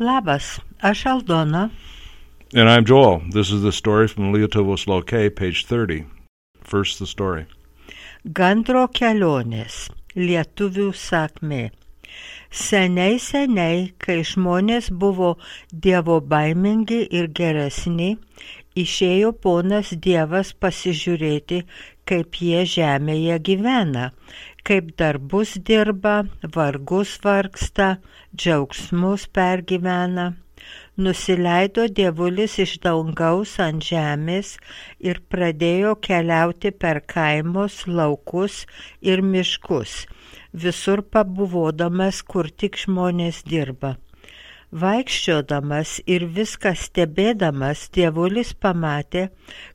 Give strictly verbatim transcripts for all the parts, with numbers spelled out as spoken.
Labas, aš Aldona. And I'm Joel. This is the story from Lietuvos Laukai, page thirty. First, the story. Gandro kelionės, lietuvių sakmė. Seniai, seniai, kai žmonės buvo dievo baimingi ir geresni, išėjo ponas Dievas pasižiūrėti, kaip jie žemėje gyvena, kaip darbus dirba, vargus vargsta, džiaugsmus pergyvena. Nusileido dievulis iš dangaus ant žemės ir pradėjo keliauti per kaimus, laukus ir miškus, visur pabuvodamas, kur tik žmonės dirba. Vaikščiodamas ir viską stebėdamas, dievulis pamatė,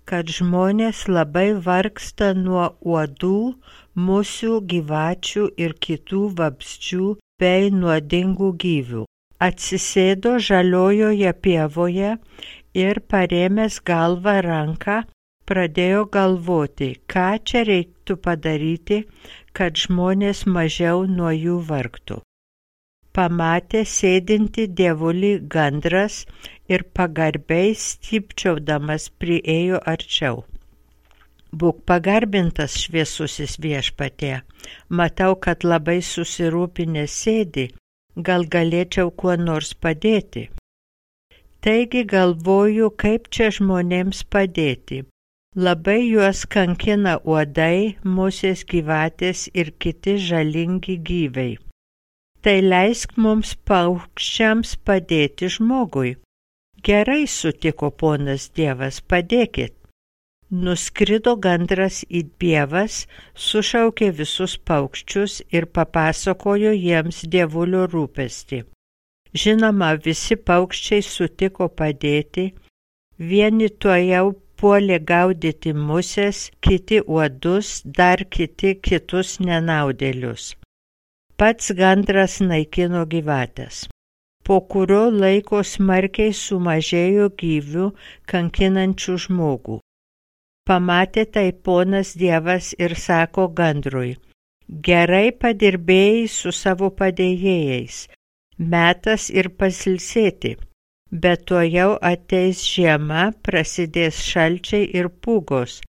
kad žmonės labai vargsta nuo uodų, musių, gyvačių ir kitų vabzdžių bei nuodingų gyvių. Atsisėdo žaliojoje pievoje ir parėmęs galvą ranką, pradėjo galvoti, ką čia reiktų padaryti, kad žmonės mažiau nuo jų vargtų. Pamatė sėdinti dievulį gandras ir pagarbiai stypčiaudamas priėjo arčiau. Būk pagarbintas, šviesusis viešpatie, matau, kad labai susirūpinęs sėdi, gal galėčiau kuo nors padėti. Taigi galvoju, kaip čia žmonėms padėti. Labai juos kankina uodai, musės, gyvatės ir kiti žalingi gyviai. Tai leisk mums paukščiams padėti žmogui. Gerai, sutiko ponas Dievas, padėkit. Nuskrido gandras į pievas, sušaukė visus paukščius ir papasakojo jiems dievulio rūpestį. Žinoma, visi paukščiai sutiko padėti, vieni tuojau puolė gaudyti musės, kiti uodus, dar kiti kitus nenaudėlius. Pats gandras naikino gyvates. Po kurio laiko smarkiai sumažėjo gyvių kankinančių žmogų. Pamatė tai ponas Dievas ir sako gandrui, gerai padirbėjai su savo padėjėjais, metas ir pasilsėti, bet tuojau ateis žiema, prasidės šalčiai ir pūgos.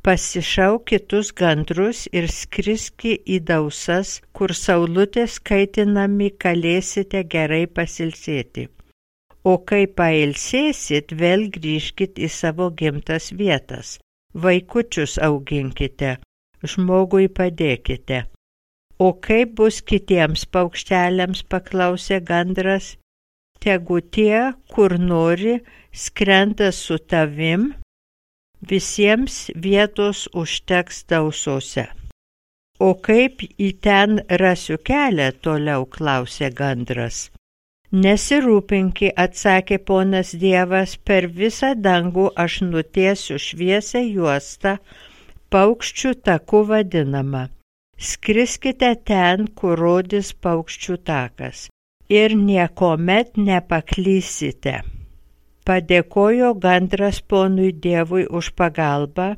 Pasišauk kitus gandrus ir skriski į dausas, kur saulutės kaitinami galėsite gerai pasilsėti. O kai pailsėsit, vėl grįžkit į savo gimtas vietas. Vaikučius auginkite, žmogui padėkite. O kaip bus kitiems paukšteliams, paklausė gandras, tegu tie, kur nori, skrenda su tavim, visiems vietos užteks dausose. O kaip į ten rasiu kelią, toliau klausė gandras. Nesirūpinki, atsakė ponas Dievas, per visą dangų aš nutiesiu šviesią juostą, paukščių taku vadinamą. Skriskite ten, kur rodys paukščių takas, ir niekomet nepaklysite. Padėkojo gandras ponui Dievui už pagalbą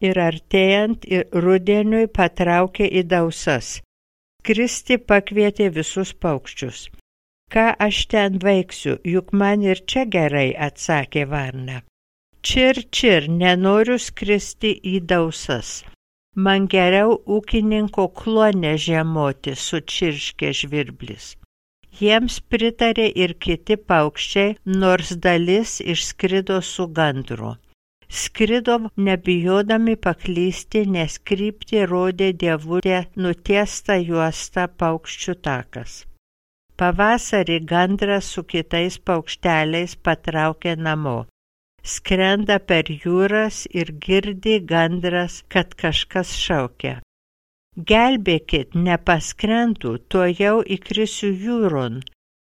ir artėjant rudeniui patraukė į dausas. Skristi pakvietė visus paukščius. Ką aš ten veiksiu, juk man ir čia gerai, atsakė varna. Čir, čir, nenoriu skristi į dausas. Man geriau ūkininko kluone žiemoti, sučirškė žvirblis. Jiems pritarė ir kiti paukščiai, nors dalis išskrido su gandru. Skrido nebijodami paklysti, nes kryptį rodė dievulė nutiesta juosta paukščių takas. Pavasarį gandras su kitais paukšteliais patraukė namo. Skrenda per jūras ir girdi gandras, kad kažkas šaukia. Gelbėkit, nepaskrendu, tuojau įkrisiu jūron.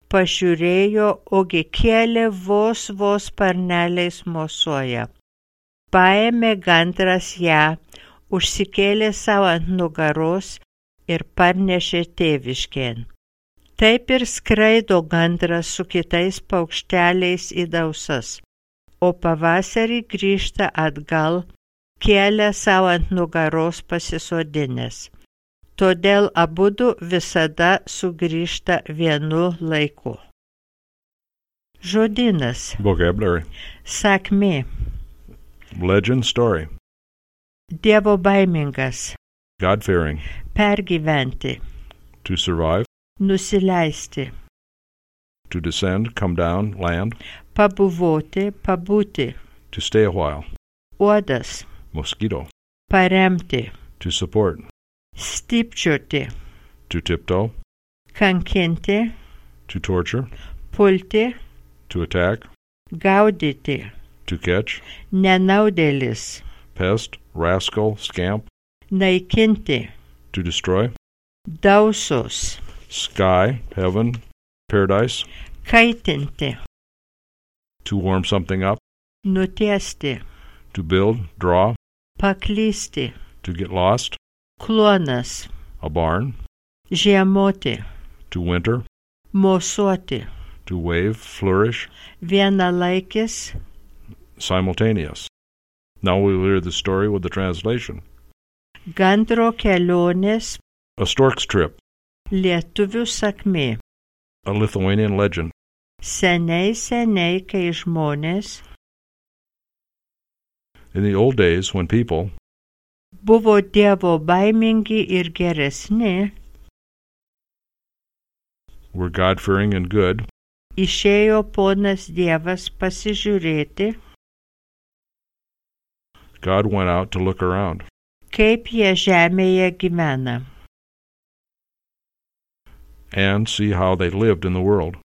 Pažiūrėjo, ogi kėlė vos vos sparneliais mosuoja. Paėmė gandras ją, užsikėlė savo ant nugaros ir parnešė tėviškėn. Taip ir skraido gandras su kitais paukšteliais į dausas, o pavasarį grįžta atgal, kėlė savo ant nugaros pasisodinęs. Todėl abudu visada sugrįžta vienu laiku. Žodynas. Vocabulary. Sakmė. Legend, story. Dievo baimingas. God-fearing. Pergyventi. To survive. Nusileisti. To descend, come down, land. Pabuvoti, pabūti. To stay a while. Uodas. Mosquito. Paremti. To support. Stypčioti. To tiptoe. Kankinti. To torture. Pulti. To attack. Gaudyti. To catch. Nenaudėlis. Pest, rascal, scamp. Naikinti. To destroy. Dausos. Sky, heaven, paradise. Kaitinti. To warm something up. Nutiesti. To build, draw. Paklysti. To get lost. Kluonas. A barn. Žiemoti. To winter. Mosuoti. To wave, flourish. Vienalaikis. Simultaneous. Now we will hear the story with the translation. Gandro kelionės. A stork's trip. Lietuvių sakmė. A Lithuanian legend. Seniai, seniai, kai žmonės. In the old days, when people Buvo Dievo baimingi ir geresni. were God-fearing and good, Išėjo ponas Dievas pasižiūrėti, God went out to look around. kaip jie žemėje gyvena. And see how they lived in the world.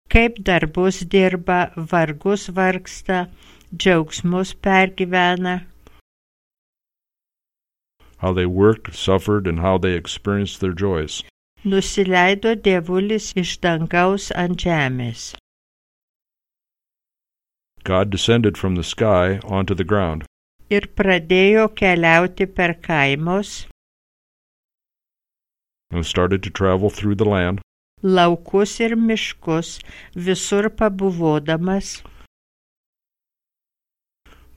Kaip darbus dirba, vargus vargsta, džiaugsmus pergyvena. How they worked, suffered, and how they experienced their joys. Nusileido Dievulis iš dangaus ant žemės. God descended from the sky onto the ground. Ir pradėjo keliauti per kaimus, And started to travel through the land, laukus ir miškus, visur pabuvodamas,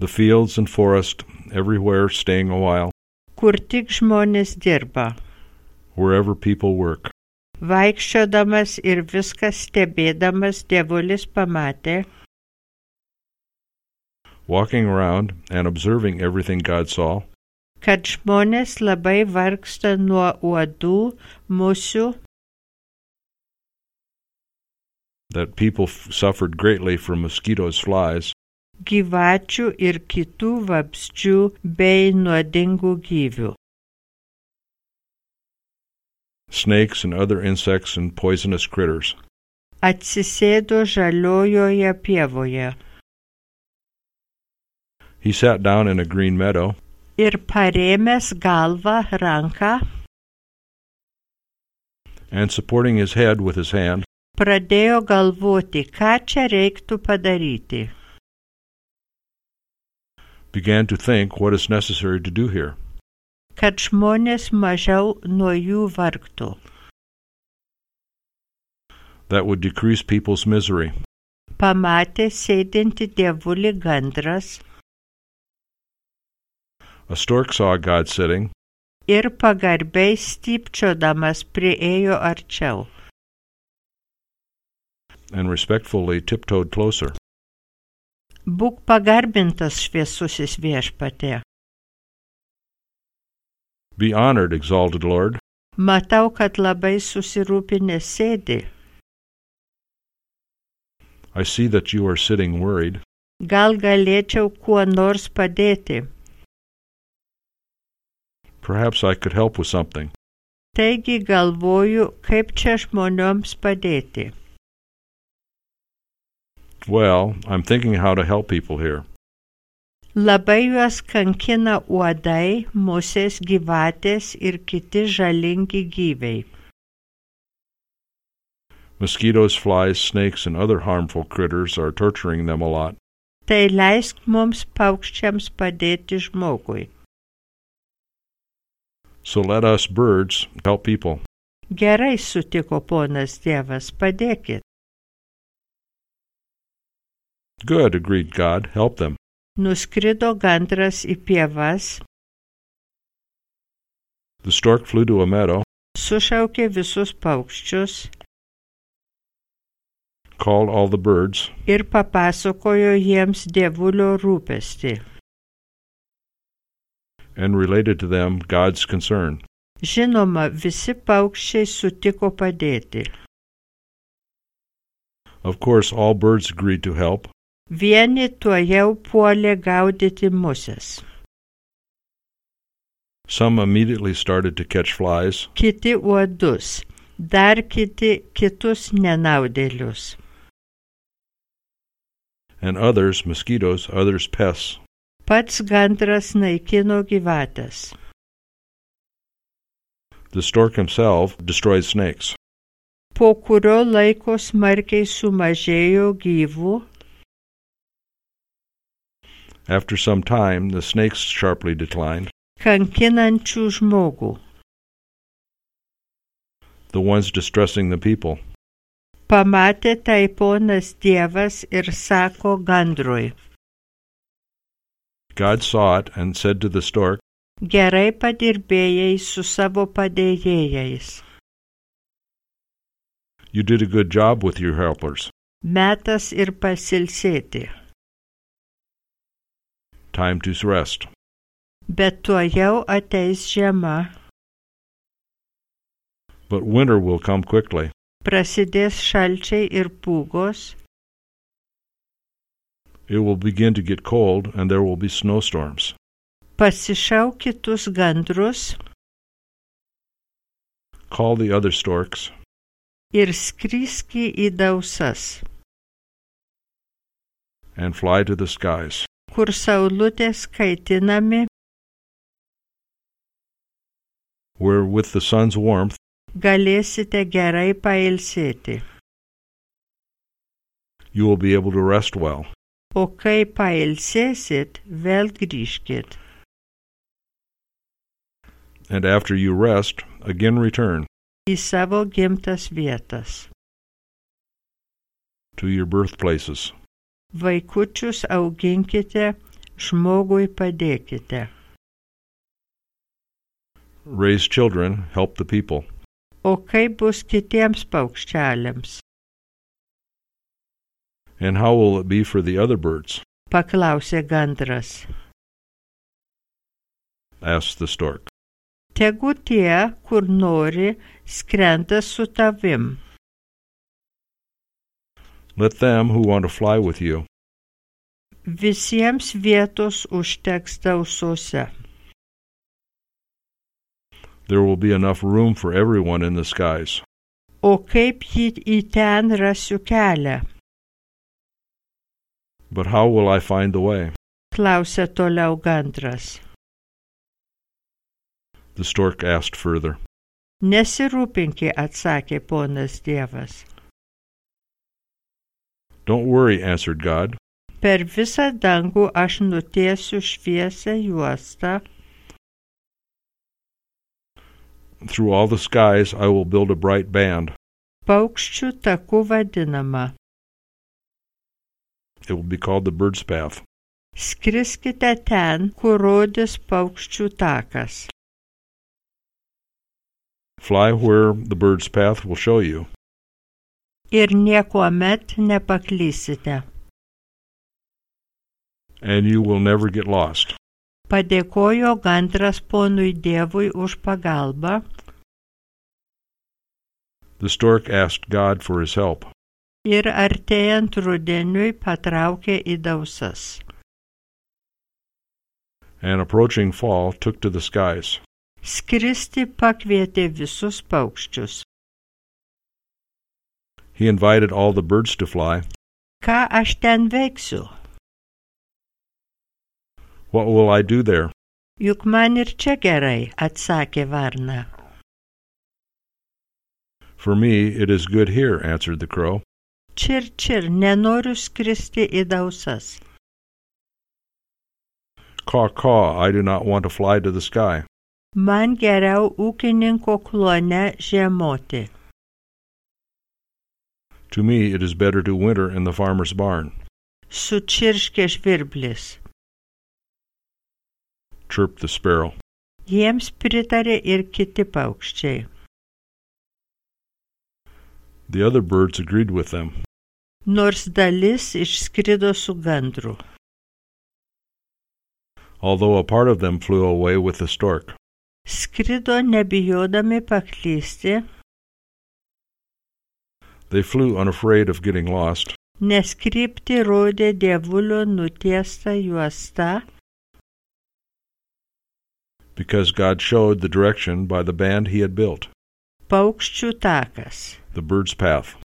the fields and forest, everywhere staying a while, kur tik žmonės dirba. wherever people work. Vaikščiodamas ir viską stebėdamas, Dievulis pamatė, Walking around and observing everything God saw, kad žmonės labai vargsta nuo uodų, musių, that people f- suffered greatly from mosquitoes, flies, gyvačių ir kitų vabzdžių bei nuodingų gyvių. snakes and other insects and poisonous critters. Atsisėdo žaliojoje pievoje He sat down in a green meadow, ir parėmęs galvą ranką, and supporting his head with his hand, pradėjo galvoti, ką čia reiktų padaryti. began to think what is necessary to do here. Kad žmonės mažiau nuo jų vargtų. That would decrease people's misery. Pamatė sėdinti Dievulį gandras A stork saw God sitting, ir pagarbiai stypčiodamas priėjo arčiau. and respectfully tiptoed closer. Būk pagarbintas, šviesusis viešpatie. Be honored, exalted Lord. Matau, kad labai susirūpinęs sėdi. I see that you are sitting worried. Gal galėčiau kuo nors padėti. Perhaps I could help with something. Taigi galvoju, kaip čia žmonėms padėti. Well, I'm thinking how to help people here. Labai juos kankina uodai, musės, gyvatės ir kiti žalingi gyviai. Mosquitoes, flies, snakes, and other harmful critters are torturing them a lot. Tai leisk mums paukščiams padėti žmogui. So let us, birds, help people. Gerai, sutiko ponas Dievas, padėkit. Good, agreed God, help them. Nuskrido gandras į pievas, The stork flew to a meadow, sušaukė visus paukščius, called all the birds, ir papasakojo jiems dievulio rūpestį. and related to them God's concern. Žinoma, visi paukščiai sutiko padėti. Of course, all birds agreed to help. Vieni tuojau puolė gaudyti muses. Some immediately started to catch flies, Kiti uodus, dar kiti kitus nenaudėlius. and others mosquitoes, others pests. Pats gandras naikino gyvates. The stork himself destroyed snakes. Po kurio laiko smarkiai sumažėjo gyvų. After some time, the snakes sharply declined, Kankinančių žmogų. the ones distressing the people. Pamatė tai ponas Dievas ir sako gandrui. God saw it and said to the stork, Gerai padirbėjai su savo padėjėjais. "You did a good job with your helpers. Metas ir pasilsėti. Time to rest." Bet tuojau ateis žiema. But winter will come quickly. Prasidės šalčiai ir pūgos. It will begin to get cold, and there will be snowstorms. Pasišauk kitus gandrus Call the other storks, ir skriski į dausas, and fly to the skies. kur saulutės kaitinami, where with the sun's warmth galėsite gerai pailsėti. you will be able to rest well. O kai pailsėsit, vėl grįžkit. And after you rest, again return Į savo gimtas vietas. to your birthplaces. Vaikučius auginkite, žmogui padėkite. Raise children, help the people. O kaip bus kitiems paukščialiams? And how will it be for the other birds? Paklausė gandras. Asked the stork. Tegu tie, kur nori, skrenda su tavim. Let them who want to fly with you. Visiems vietos užteks dausose. There will be enough room for everyone in the skies. O kaip jį į ten rasiu kelią? But how will I find the way? Klausė toliau gandras. The stork asked further. Nesirūpinki, atsakė ponas Dievas. Don't worry, answered God. Per visą dangų aš nutiesiu šviesią juostą. Through all the skies I will build a bright band. Paukščių taku vadinama. It will be called the bird's path. Skriskite ten, kur rodys paukščių takas. Fly where the bird's path will show you. Ir niekuomet nepaklysite. And you will never get lost. Padėkojo gandras ponui Dievui už pagalbą. The stork asked God for his help. Ir artėjant rudeniui patraukė į dausas. And approaching fall took to the skies. Skristi pakvietė visus paukščius. He invited all the birds to fly. Ką aš ten veiksiu? What will I do there? Juk man ir čia gerai, atsakė varna. For me it is good here, answered the crow. Čir, čir, nenoriu skristi į dausas. Caw, caw, I do not want to fly to the sky. Man geriau ūkininko klone žiemoti. To me it is better to winter in the farmer's barn. Sučirškė žvirblis. Chirped the sparrow. Jiems pritarė ir kiti paukščiai. The other birds agreed with them. nors dalis išskrido su gandru. although a part of them flew away with the stork. Skrido nebijodami paklysti, They flew unafraid of getting lost, nes kryptį rodė dievulio nutiesta juosta, because God showed the direction by the band he had built, paukščių takas. the bird's path.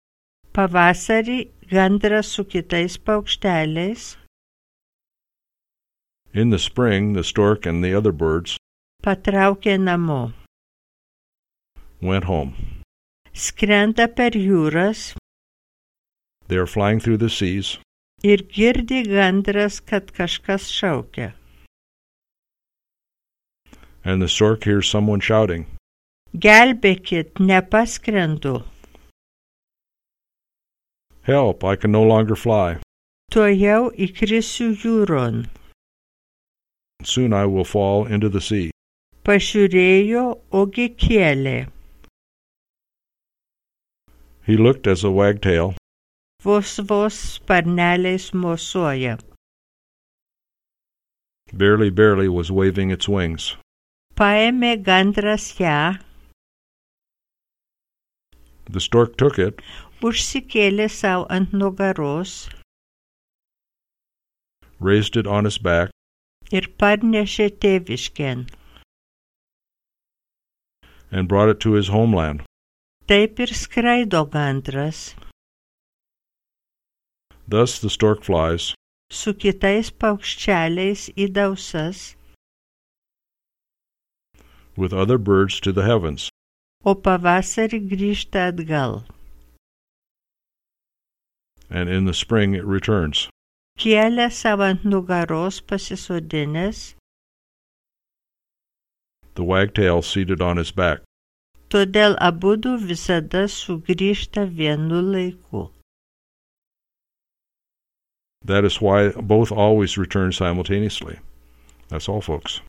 Pavasarį gandras su kitais paukšteliais In the spring, the stork and the other birds patraukė namo. went home. Skrenda per jūras They are flying through the seas, ir girdi gandras, kad kažkas šaukia. and the stork hears someone shouting, Gelbėkit, nepaskrendu. "Help, I can no longer fly. Tuojau įkrisiu jūron. Soon I will fall into the sea." Pažiūrėjo, ogi kėlė. He looked as a wagtail Vos vos sparneliais mosuoja. barely, barely was waving its wings. Paėmė gandras ją, The stork took it, užsikėlė savo ant nugaros raised it on its back, ir parnešė tėviškėn. and brought it to his homeland. Taip ir skraido gandras Thus the stork flies, su kitais paukščialiais į dausas, with other birds to the heavens. o pavasarį grįžta atgal. And in the spring it returns. Kėlė savo ant nugaros pasisodinęs, The wagtail seated on his back. todėl abudu visada sugrįžta vienu laiku. That is why both always return simultaneously. That's all, folks.